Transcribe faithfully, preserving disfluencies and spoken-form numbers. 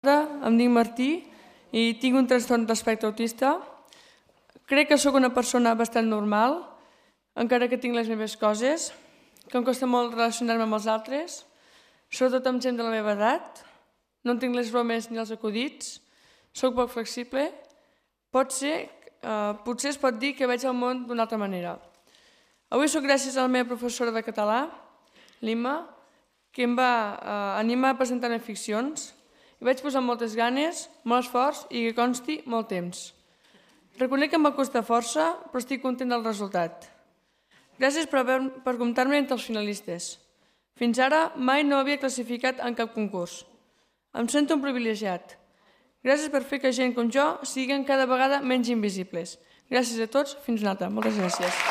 Em dic Martí i tinc un trastorn d'espectre autista. Crec que sóc una persona bastant normal, encara que tinc les meves coses, que em costa molt relacionar-me amb els altres, sobretot amb gent de la meva edat. No tinc les bromes ni els acudits, sóc poc flexible. Pot ser, eh, potser es pot dir que veig el món d'una altra manera. Avui sóc gràcies a la meva professora de català, l'Imma, que em va eh, animar a presentar-me ficcions. Hi vaig posar moltes ganes, molt esforç i que consti molt temps. Reconec que em va costar força, però estic content del resultat. Gràcies per, per comptar-me entre els finalistes. Fins ara mai no havia classificat en cap concurs. Em sento un privilegiat. Gràcies per fer que gent com jo siguin cada vegada menys invisibles. Gràcies a tots, fins una altra. Moltes gràcies.